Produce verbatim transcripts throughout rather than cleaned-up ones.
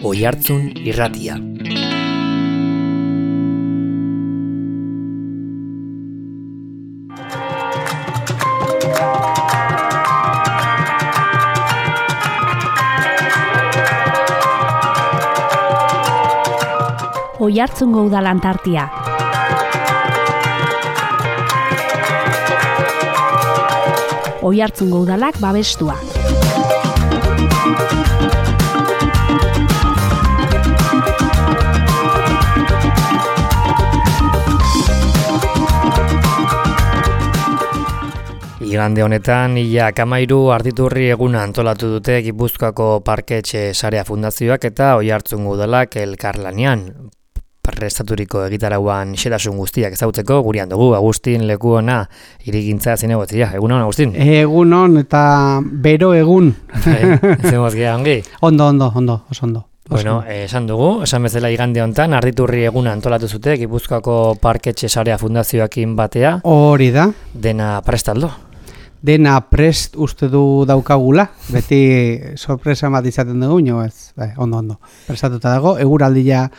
Oihartzun Irratia. Oihartzungo Udalan tartia. Oihartzungo Udalak babestua. Igande honetan, ia Kamairu Arditurri eguna antolatu dute Gipuzkoako Parketxe Sarea Fundazioak eta Oihartzungo Udalak elkarlanean. Prestaturiko egitarauan xetasun guztiak ezagutzeko gurean dugu Agustin Lekuona hirigintza zinegotzia. Egunon, Agustin? Egunon eta bero egun. Zemoz geha ongi? Ondo, ondo, ondo, oso ondo. Bueno, eh, esan dugu, esan bezala igande honetan, Arditurri eguna antolatu zute Gipuzkoako Parketxe Sarea Fundazioakin batea. Hori da. Dena prestaldo? Dena prest uste du daukagula, beti sorpresa bat izaten dugu, nio ez, bai, ondo, ondo. Prestatuta dago, eguraldia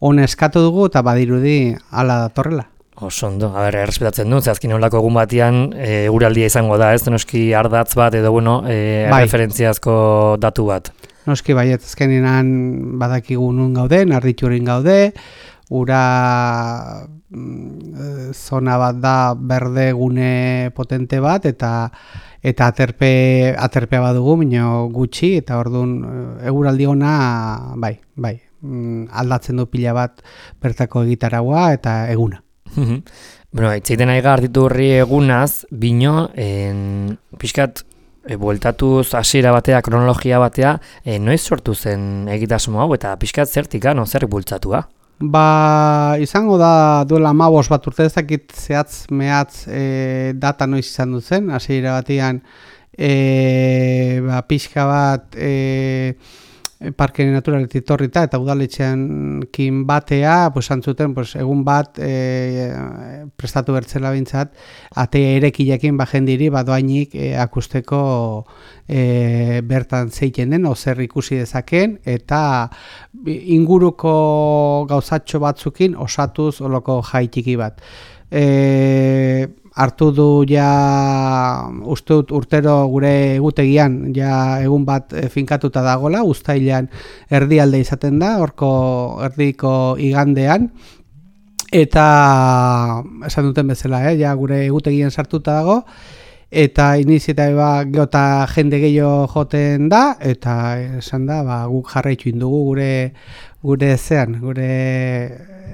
hona eskatu dugu eta badirudi hala datorrela. Oso ondo, a ber, errespetatzen du, zehazkin olako egun batian eguraldia izango da, ez? Noski ardatz bat edo, bueno, e, bai. Referentziazko datu bat. Noski bai, azkenean badakigu nun gauden, Arditurrin gaude, ura mm, zona bat da berde gune potente bat, eta eta aterpe, aterpea badugu, minio gutxi, eta orduan eguraldi ona, bai, bai. Aldatzen du pila bat bertako egitaragua eta eguna. Bueno, itzaiten aiga Arditurri egunaz, bino, en, pixkat, e, bueltatuz hasiera batea, kronologia batea, e, noiz sortu zen egitasmo hau eta pixkat zertika, no, zer bultzatua? Ba, izango da duela hamabost bat urte, ezakit zehatz mehatz e, data noiz izan duzen, hasiera batean e, ba, pixka bat e, parke naturaletik torrita eta udaletxean kin batea, pues, antzuten, pues, egun bat e, prestatu bertzela bintzat, ate erekilekin bajendiri badoainik e, akusteko e, bertan zeiten den, ozer ikusi dezaken, eta inguruko gauzatxo batzukin osatuz oloko jaitiki bat. E, hartu du ja uste dut urtero gure egutegian ja egun bat finkatuta dagola, uztailean erdialde izaten da, horko erdiko igandean, eta esan duten bezala, eh, ja gure egutegian sartuta dago, eta iniziatiba geota jende gehiago joten da, eta esan da, ba, guk jarraitu indugu gure gure zean, gure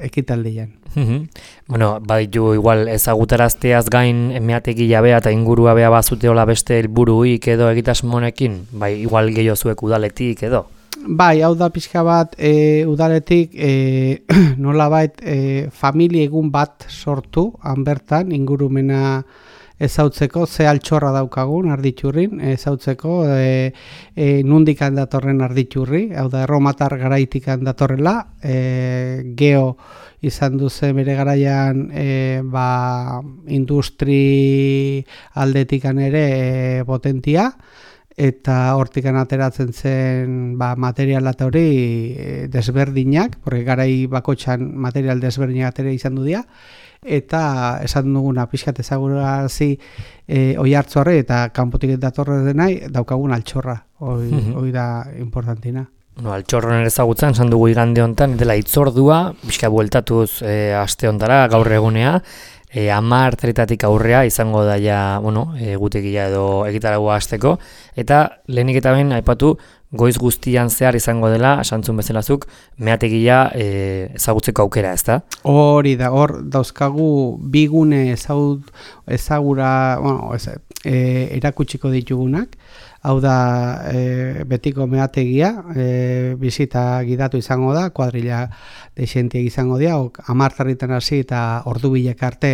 ekitaldian. Bueno, baditu igual ezagutarazteaz gain meategi jabea eta ingurua bea bazuteola beste helburuik edo egitasmonekin, bai igual gehiago zuek udaletik edo? Bai, hau da pixka bat e, udaletik e, nolabait e, familia egun bat sortu, han bertan ingurumena ezautzeko, ze altxorra daukagun Arditurrin, ezautzeko e, e, nundikan datorren Arditurri, hau da erromatar garaitikan datorrela, e, geo izan duze bere garaian e, ba, industri aldetikan ere e, potentia, eta hortikan ateratzen zen ba, material eta hori e, desberdinak, porque garai bakotxan material desberdinak atera izan du dira, eta esan duguna pixkat ezagurazi e, Oihartzorre eta kanpotik datorre denai daukagun altxorra, hori mm-hmm. da importantina. No, altxorron ezagutzen, esan dugu igande honetan, dela itzordua, pixka bueltatuz e, aste hontara, gaur egunea, e, hamar teretatik aurrea izango da ja, bueno, e, gutekia edo egitaragoa hasteko, eta lehenik eta behin aipatu goiz guztian zehar izango dela, esantzun bezalazuk, meategia e, ezagutzeko aukera, ezta? Hori da, hor dauzkagu bigune ezagut, ezagura, bueno, ez, e, erakutsiko ditugunak, hau da e, betiko meategia, e, bizita gidatu izango da, kuadrilla dexentiek izango dira, amartarritan hasi eta ordu bilek arte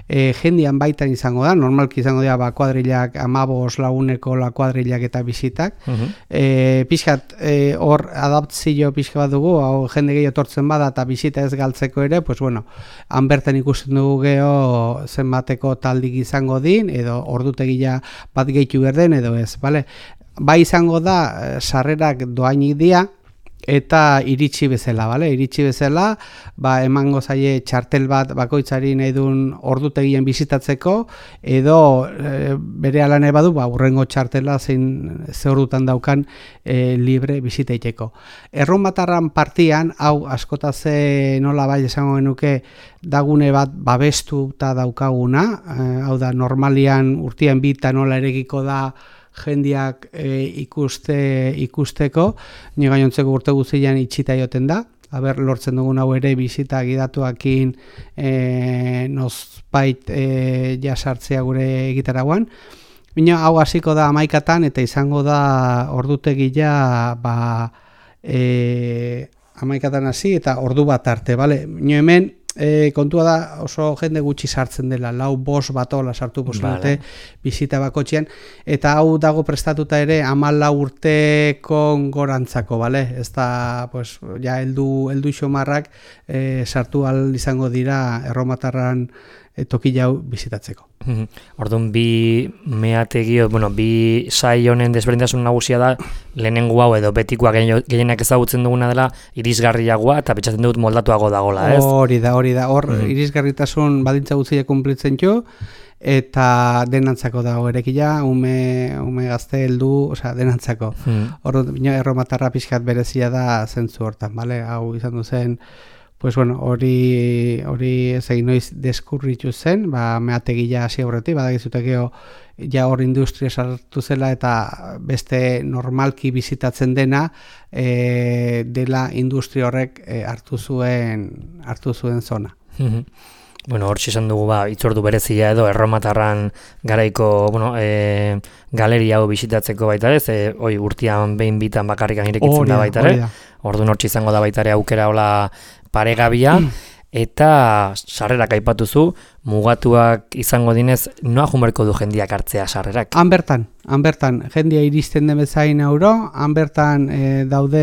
e, jendian baitan izango da, normalki izango dira ba, kuadrillak amabos laguneko la kuadrillak eta bizitak. Uh-huh. e, pixkat hor e, adaptzio pixka bat dugu, hau jende gehiago tortzen bada eta bizita ez galtzeko ere, pues bueno, han bertan ikusten dugu geho zenbateko taldik izango din, edo ordutegia bat gehitu berden, edo ez, bale? Bai izango da, sarrerak doainik dira, eta iritsi bezala, bale? Iritsi bezala, ba, emango zaie txartel bat bakoitzari nahi duen ordutegien bizitatzeko, edo e, bere ala nahi badu, ba, urrengo txartela zein ze ordutan daukan e, libre bizitaiteko. Erromatarran partian, hau askotaze nola bai esango genuke, dagune bat babestu eta daukaguna, e, hau da, normalian urtean bita nola eregiko da, jendiak e, ikuste ikusteko, nire gainontzeko urte guztian itxita joten da, haber lortzen dugun hau ere bizita gidatuakin e, nozpait e, jasartzea gure egitaragoan. Bina hau hasiko da hamaikatan eta izango da ordutegia ba, e, hamaikatan hasi eta ordu bat arte, bale? Nio hemen E, kontua da oso jende gutxi sartzen dela, lau bos batola sartu posibete bizita bakotxean, eta hau dago prestatuta ere hamalau urteko gorantzako, bale? Ez da, pues, ja, heldu, heldu xomarrak e, sartu al izango dira erromatarran e, toki jau bizitatzeko. Orduan bi meategi, bueno, bi sai honen desberdintasun nagusia da lehenengo hau edo betikoa gehienak ezagutzen duguna dela irisgarriagoa eta pentsatzen dut moldatuago dagola, ez? Hori da, hori da. Hor mm. irisgarritasun badintza guztiak kunplitzen jo eta denantzako dago erekila, ume, ume gazte heldu, osea, denantzako. Mm. Hor erromatarra pixkat berezia da zentzu hortan, bale? Hau izan du zen pues bueno, hori hori ez egin noiz deskurritu zen, ba meategia hasi aurretik, badakizutekeo ja hor industria sartu zela eta beste normalki bizitatzen dena e, dela industria horrek e, hartu zuen hartu zuen zona. Bueno, hor esan dugu ba hitzordu berezia edo erromatarran garaiko, bueno, e, galeria hau bisitatzeko baita ez, e, oi urtean behin bitan bakarrikan irekitzen da baita ere. Orduan hortxe izango da baita ere aukera hola paregabia, eta sarrerak aipatuzu, mugatuak izango dinez, noa jumerko du jendiak hartzea sarrerak? Han bertan, han bertan, jendia iristen den bezain euro, han bertan e, daude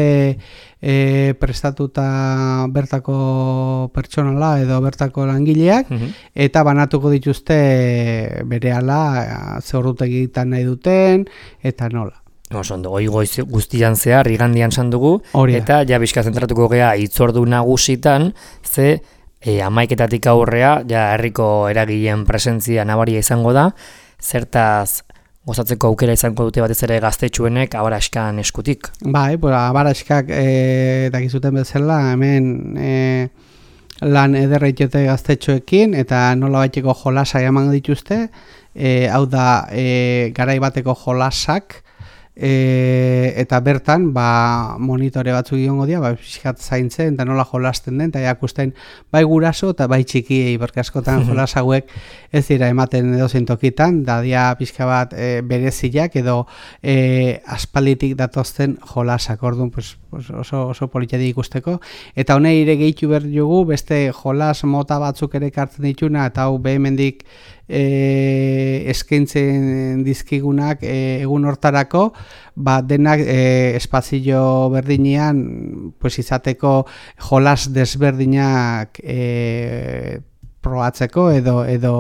e, prestatuta bertako pertsonala edo bertako langileak, uh-huh. eta banatuko dituzte berehala ze ordutegitan nahi duten, eta nola. Osondo, hoi goiz guztian zehar, igandian san dugu, eta ja bizka zentratuko gea hitzordu nagusitan, ze e, hamaiketatik aurrea, ja herriko eragileen presentzia nabaria izango da, zertaz gozatzeko aukera izango dute batez ere gaztetxuenek Abaraskan eskutik. Bai, pues, Abaraskak e, dakizuten bezala, hemen e, lan ederreitiote gaztetxoekin, eta nola baiteko jolasa eman dituzte, e, hau da e, garai bateko jolasak, E, eta bertan ba, monitore batzuk iongo dira, ba, pixkat zaintzen eta nola jolasten den, eta jakusten bai guraso eta bai txikiei, berke askotan jolas hauek ez dira ematen edo zentokitan, da dia pixka bat e, bereziak edo e, aspalitik datozten jolasak, orduan pues, pues oso, oso politiatik ikusteko, eta honei ere gehitu behar dugu, beste jolas mota batzuk ere kartzen dituna, eta hau behemendik E, eskaintzen dizkigunak e, egun hortarako, ba, denak e, espazio berdinean pues, izateko jolas desberdinak e, probatzeko edo edo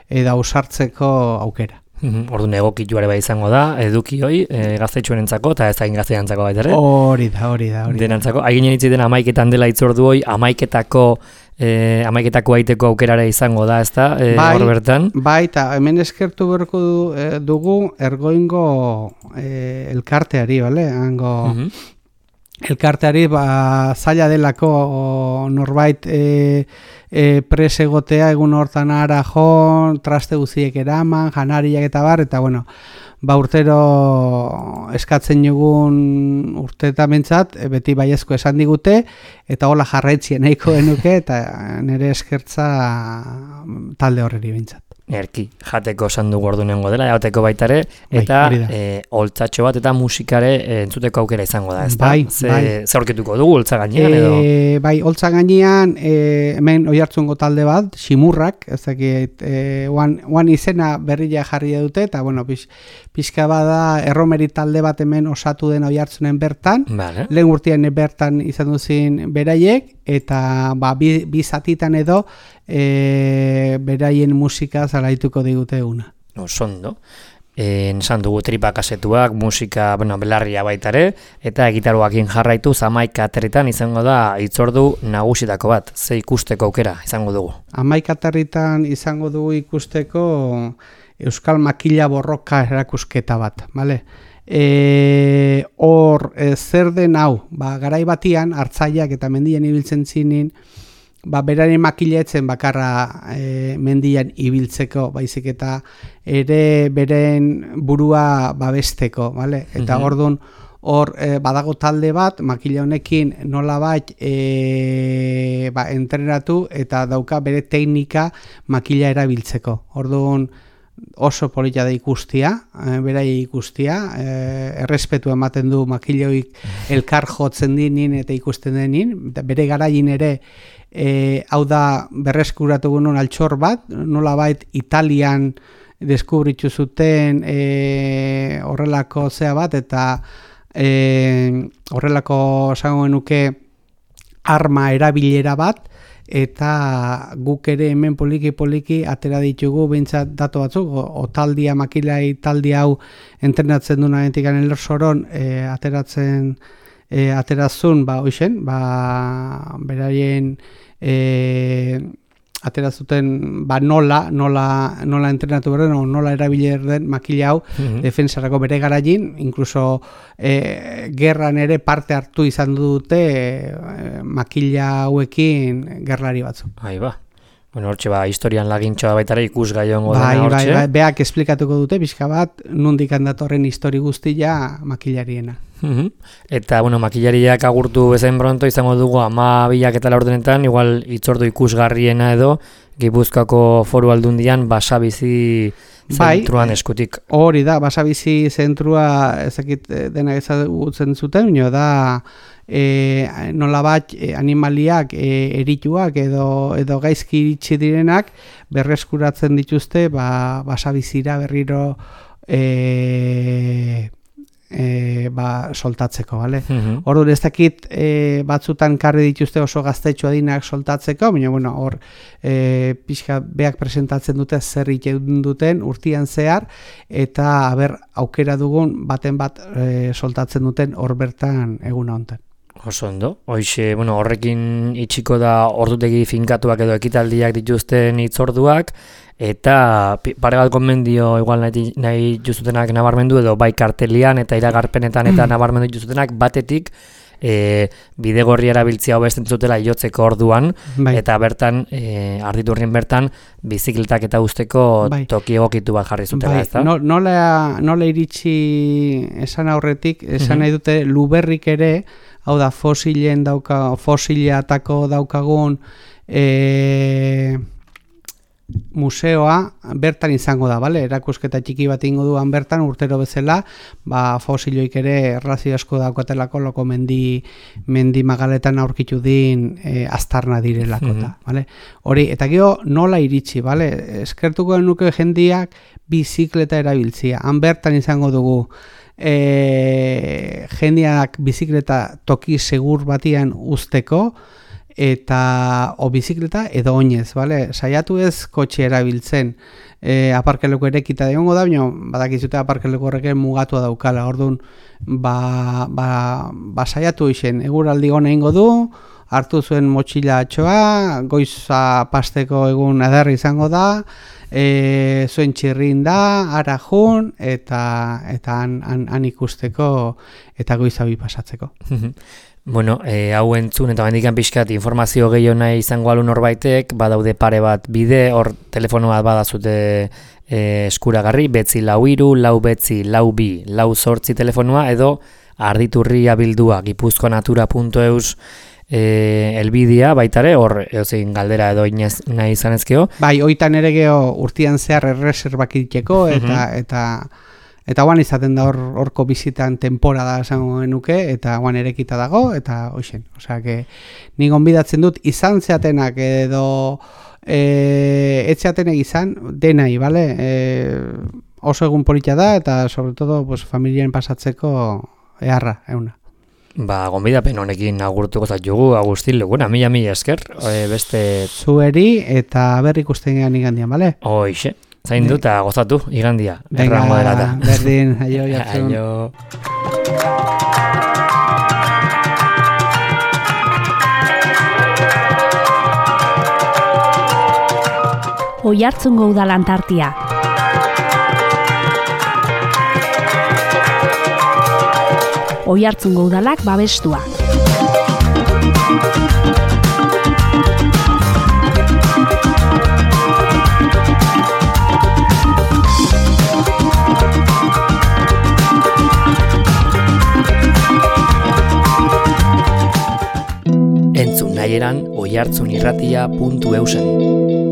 edo ausartzeko aukera. Orduan egokituare bai izango da, eduki hoi, e, gaztetxuenentzako eta ez hain gazteantzako baita ere. Hori da, hori da, hori da. Denantzako, haiginen hitzi den hamaiketan dela hitzordu hoi, hamaiketako E, hamaiketako aiteko aukerare izango da, ezta, e, bai, hor bertan? Bai, eta hemen eskertu berko du, e, dugu ergoingo e, elkarteari, bale? Hango uh-huh. elkarteari ba, zaila delako norbait e, e, pres egotea egun hortan ara jon, traste guziek eraman, janariak eta bar, eta bueno, ba urtero eskatzen dugun urteetan bentsat, beti baiezko esan digute, eta hola jarraitzien nahiko genuke, eta nire eskertza talde horreri bentsat. Erki, jateko esan dugu ordunengo dela, jateko baita ere, eta bai, e, oltzatxo bat eta musikare e, entzuteko aukera izango da, ezta? Bai, Ze, bai. Ze aurkituko dugu, oltza gainean, edo? E, bai, oltza gainean, e, hemen oihartzungo talde bat, Ximurrak, ez dakit, e, oan, oan izena berria jarri dute, eta, bueno, pix, pixka bada erromeri talde bat hemen osatu den oihartzunen bertan, vale. Lehen urtean bertan izan duzin beraiek, eta ba, bi, bi zatitan edo e, beraien musika zalaituko digute eguna. Osondo. esan dugu tripa kasetuak, musika, bueno, belarria baitare, eta gitaroakin jarraitu hamaika aterritan izango da hitzordu nagusitako bat, ze ikusteko aukera izango dugu. hamaika aterritan izango dugu ikusteko Euskal Makila Borroka erakusketa bat, bale? E, hor, e, zer den hau, ba, garai batian, hartzaileak eta mendian ibiltzen zinin, ba, beraren makiletzen bakarra e, mendian ibiltzeko, baizik eta ere beren burua babesteko, bale? Eta Mhm. orduan, hor e, badago talde bat, makila honekin nolabait e, ba, entrenatu eta dauka bere teknika makila erabiltzeko. Orduan, oso polita da ikustia, e, berai ikustia, e, errespetu ematen du makiloik elkar jotzen dinin eta ikusten denin, eta bere garaien ere e, hau da berreskuratu genuen altxor bat, nolabait Italian deskubritu zuten e, horrelako zea bat, eta e, horrelako esango genuke arma erabilera bat, eta guk ere hemen poliki-poliki atera ditugu behintzat datu batzuk, otaldia, makilai taldia hau entrenatzen duna entikan elorsoron e, ateratzen e, aterazun, ba, hoixen, ba, beraien e, aterazuten, ba, nola, nola, nola entrenatu berden, o nola erabiler den makila hau, Mhm. defensarako bere garaien, incluso e, gerran ere parte hartu izan dute e, makila hauekin gerlari batzu. Ahí ba. Bueno, hortxe ba, historian lagintxoa baitare ikusgai ongo Bai, dena bai, hortxe. bai, beak esplikatuko dute, pixka bat, nundik handatorren histori guztia makilariena. Mhm. Eta, bueno, makillariak agurtu bezain pronto izango dugu ama bilak eta laurdenetan, igual hitzordu ikusgarriena edo, Gipuzkoako Foru Aldundian Basabizi Bai, zentruan eskutik. Hori da, Basabizi zentrua ezakit eh, dena ezagutzen zuten, nio da e, nolabat e, animaliak e, erituak edo, edo gaizki iritsi direnak berreskuratzen dituzte ba, Basabizira berriro e, e, ba, soltatzeko, bale? Mhm. Orduan ez dakit e, batzutan karri dituzte oso gaztetxo adinak soltatzeko, baina bueno, hor e, pixka beak presentatzen dute zer egiten duten urtian zehar, eta haber aukera dugun baten bat e, soltatzen duten hor bertan eguna hontan. Oso ondo. Hoixe, bueno, horrekin itxiko da ordutegi finkatuak edo ekitaldiak dituzten hitzorduak, eta pi- pare bat konbendio igual nahi, nahi juzutenak nabarmendu edo bai kartelian eta iragarpenetan eta nabarmendu juzutenak batetik e, bidegorri erabiltzia hobesten zutela jotzeko orduan, Bai. eta bertan, e, arditurrien bertan, bizikletak eta usteko Bai. toki egokitu bat jarri zutela, Bai, ezta? no, nola, nola iritsi esan aurretik, esan Mhm. nahi dute luberrik ere, hau da fosilen dauka, fosilatako daukagun e, museoa bertan izango da, bale? Erakusketa txiki bat ingo duan bertan urtero bezala, ba fosiloik ere errazio asko daukatelako loko mendi mendi magaletan aurkitu din e, aztarna direlako Mhm. ta, bale? Hori, eta gero nola iritsi, bale? Eskertuko nuke jendiak bizikleta erabiltzia. Han bertan izango dugu e, jendeak bizikleta toki segur batian uzteko, eta o bizikleta edo oinez, bale? Saiatu ez kotxe erabiltzen, e, aparkeleko erekita egongo da, baina badakizute aparkeleko horrek mugatua daukala, orduan ba, ba, ba saiatu isen, eguraldi hona ingo du, hartu zuen motxilatxoa, goiza pasteko egun ederri izango da, e, zuen txirrin da, ara jun, eta, eta han, han, han ikusteko eta goiza bi pasatzeko. Bueno, e, hau entzun eta mendikan pixkat informazio gehiago nahi izango alu norbaitek, badaude pare bat bide, hor telefono bat badazute e, eskuragarri, betzi lau iru, lau betzi, lau bi, lau sortzi telefonoa, edo arditurria bildua, gipuzkoanatura puntu eus e, elbidea baitare, hor eozein galdera edo inez, nahi izan ezkeo. Bai, oitan ere geho urtian zehar erreserbak itxeko, eta, eta Eta guan izaten da hor horko bizitan temporada esango genuke, eta guan erekita dago, eta hoxen. Osea, que ni gonbidatzen dut izan zeatenak edo e, etzeatenek izan denai, bale? E, oso egun polita da, eta sobre todo pues, familien pasatzeko eharra, euna. Ba, gonbidapen honekin agurtuko zaitugu, Agustin Leguna, mila mila esker, e, beste... Zueri eta berri ikusten gehan igandian, bale? Hoixe. Zaindu eta gozatu, igandia. Venga, berdin, aio, Oiartzun. Aio. Oiartzungo udalantartia. Oiartzungo udalak babestua. Entzun nahieran oiartzunirratia puntu eusen.